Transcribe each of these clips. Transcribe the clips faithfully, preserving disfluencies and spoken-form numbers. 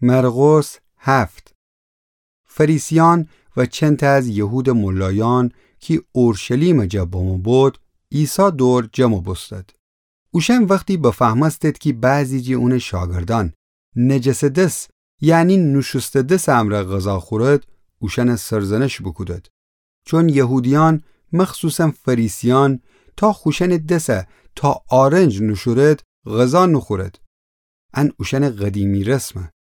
مرقس هفت. فریسیأن و چندتأ از یهودٚ ملایأن کی اورشلیمٚ جا بمو بود، عیسی دور جمع بوستد. اوشأن وختی بفهمستید کی بعضی جٚه اونٚ شاگردأن نجسٚ دس، یعنی نوشوسته دسٚ امرأ غذا خورد، اوشأن سرزنش بوکودید. چون یهودیأن، مخصوصاً فریسیأن، تا خوشأنٚ دس تا آرنج نوشورد، غذا نوخورد. ان اوشأنٚ قدیمی رسمه.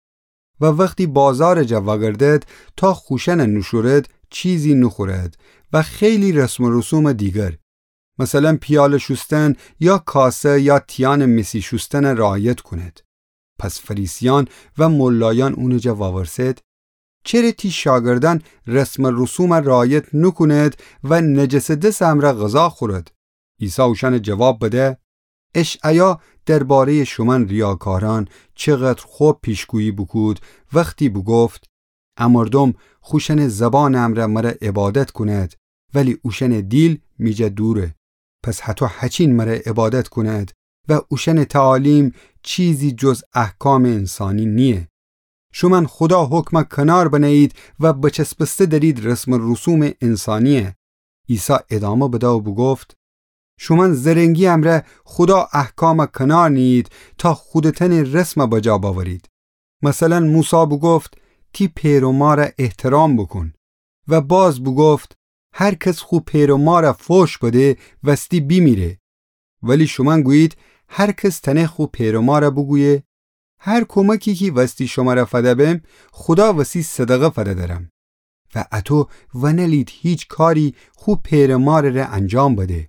و وختی بازارٚ جا وأگردد، تا خوشأن نوشورد، چیزی نوخورد و خیلی رسم و رسومٚ دیگر، مثلاً پیاله شوستن یا کاسه یا تیانٚ مسی شوستن رعایت کونید. پس فریسیأن و ملایأن اونٚ جا وأورسد: چره تی شاگردأن رسم و رسوم رعایت نوکونید و نجسٚ دسٚ امرأ غذا خورید؟ عیسی اوشأن جواب بده: اشعیا درباره‌یٚ شومأن ریاکارأن چقدر خب پیشگویی بوکود، وختی بوگفت: ا مردوم خوشأنٚ زبانٚ امرأ مر عبادت کونید، ولی اوشأنٚ دیل می جا دوره. پس هطو هچین مر عبادت کونید و اوشأنٚ تعالیم چیزی جز احکامٚ انسانی نییه. شومأن خودا حکم کنار بنه‌یید و بچسبسته درید رسم و رسومٚ انسانیه. عیسی ادامه بده و بوگفت: شومأن زرنگی امرأ خودا احکام کنار نییید تا خودتأنٚ رسم بجا بأورید. مثلاً موسی بوگفت: تی پئر و مار احترام بوکون. و باز بوگفت: هر کس خو پئر و مار فوش بده، وستی بیمیره. ولی شومأن گویید: هر کس تأنه خو پئر و مار بوگویه: هر کمکی کی وستی شمر فده بم، خودا وسی صدقه فده درم. و اطو ونألید هیچ کاری خو پئر و مارٚ ره انجام بده.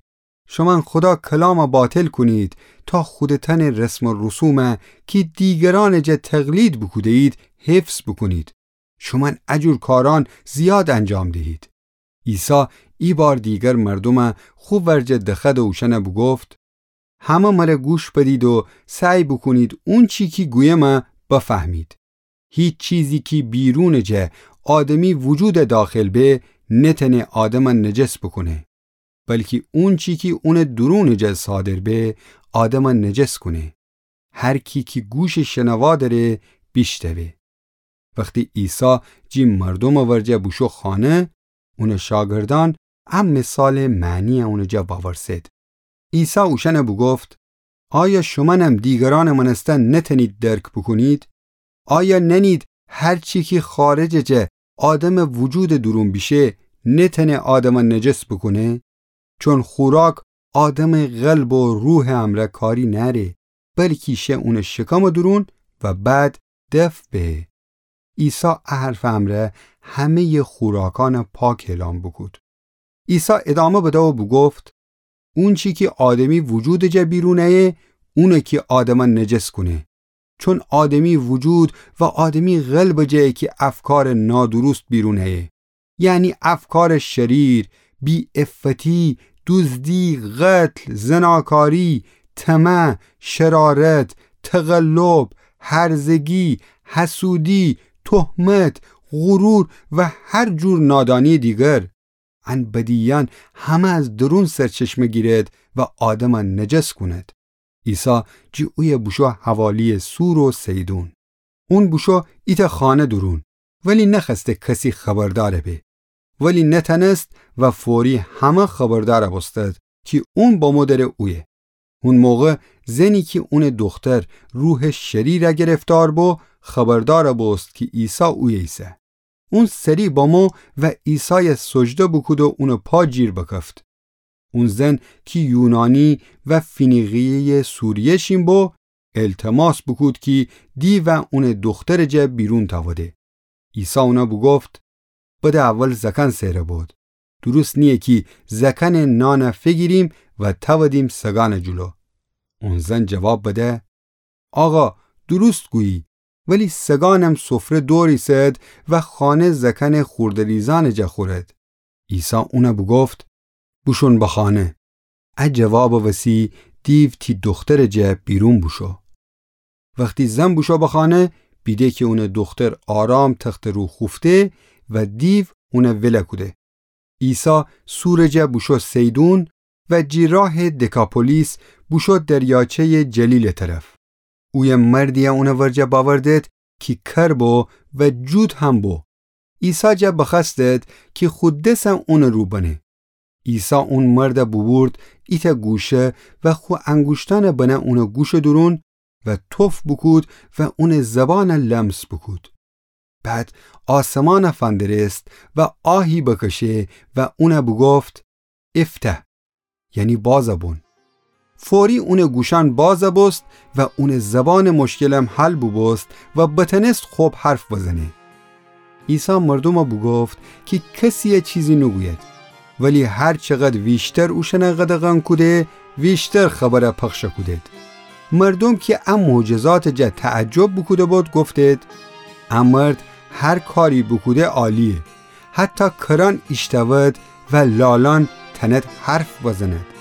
شومأن خودا کلام باطل کونید تا خودتأنٚ رسم و رسوم کی دیگرأنٚ جا تقلید بوکوده‌یید، حفظ بوکونید. شومأن ا جور کارأن زیاد انجام دهید. عیسی ای بار دیگر مردوم خو ورجه دخوأد و اوشأن بوگفت: همه مر گوش بدید و سعی بوکونید اونچی کی گویم بفهمید. هیچ چیزی کی بیرونٚ جه آدمی وجود داخل به، نتأنه آدم نجس بوکونه، بلکی اونچی کی اونٚ درونٚ جه صادر به، آدم نجس کونه. هر کی کی گوشٚ شنوا دأره، بیشنوه. وختی عیسی جی مردومٚ ورجه بوشو خانه، اونٚ شاگردأن ا مثالٚ معنی اونٚ جا وأورسد. عیسی اوشأن بوگفت: آیا شومأنم دیگرأنٚ مأنستن نتأنید درک بوکونید؟ آیا نأنید هر چی کی خارجٚ جه آدمٚ وجودٚ دورون بیشه، نتأنه آدم نجس بوکونه؟ چون خوراک آدمٚ قلب و روحٚ امرأ کاری نأره، بلکی شه اونٚ شکمٚ دورون و بعد دفع به. عیسی ا حرفٚ امرأ همه‌یٚ خوراکأن پاک اعلام بوکود. عیسی ادامه بده و بوگفت: اونچی کی آدمی وجودٚ جه بیرون ایه، اونه کی آدم نجس کونه. چون آدمی وجود و آدمی قلبٚ جه کی افکارٚ نادروست بیرون ایه، یعنی افکارٚ شریر، بی‌عفتی، دوزدی، قتل، زناکاری، طمع، شرارت، تقلب، هرزگی، حسودی، تهمت، غرور و هر جور نادانی دیگر. ان بدییأن همه از درون سرچشمه گیرد و آدم نجس کونید. عیسی جی اویه بوشو حوالیٚ صور و صیدون. اون بوشو ایتأ خانه دورون، ولی نخوأسته کسی خبردار به. ولی نتأنست و فوری همه خبردار بوستد کی اون بمو دره اویه. اون موقع زنی کی اونٚ دوختر روحٚ شریر گرفتار بو، خبردار بوست کی عیسی اویه ایسه. اون سری بمو و عیسای سجده بوکود و اونٚ پا جیر بکفت. اون زن کی یونانی و فینیقیه‌یٚ سوریه شین بو، التماس بوکود کی دیو اونٚ دوخترٚ جه بیرون تأوده. عیسی اون بوگفت: بده اول زکان سئر بود. دوروست نییه کی زکانٚ نان فیگیریم و تأودیم سگانٚ جلو. اون زن جواب بده: آقا، دوروست گویی، ولی سگانم سفره دور ایسد و خانه زکانٚ خورده‌ریزانٚ جه خورد. عیسی اون بوگفت: بوشون به خانه. ا جوابٚ وسی دیو تی دوخترٚ جه بیرون بوشو. وختی زن بوشو به خانه، بیده کی اونٚ دوختر آرام تختٚ رو خوفته و دیو اون ول کوده. عیسی صورٚ جه بوشو صیدون و جی راه دکاپولیس بوشو دریاچه‌یٚ جلیلٚ طرف. اویه مردی اونٚ ورجه بأوردد کی کر بو و جود هم بو. عیسی جا بخوأستد کی خو دسَ اونٚ رو بنه. عیسی اون مردَ بوبورد ایتأ گوشه و خو انگوشتأنَ بنه اونٚ گوشٚ دورون و تف بوکود و اونٚ زبانَ لمس بوکود. بعد آسمانَ فندرست و آهی بکشه و اونَ بوگفت: «افتح»، یعنی بازَ بون. فوری اونٚ گوشأن بازَ بوست و اونٚ زبانٚ مشکلم حل بوبوست و بتأنست خب حرف بزنه. عیسی مردومَ بوگفت کی کسیَ چیزی نوگوید، ولی هر چقدر ویشتر اوشأنَ قدغن کوده، ویشتر خبرَ پخشَ کودید. مردوم کی ا معجزاتٚ جا تعجب بوکوده‌بود گفتید: «ا مرد هر کاری بوکوده عالییه. حتی کرأن ایشتأود و لالأن تأنید حرف بزنید.»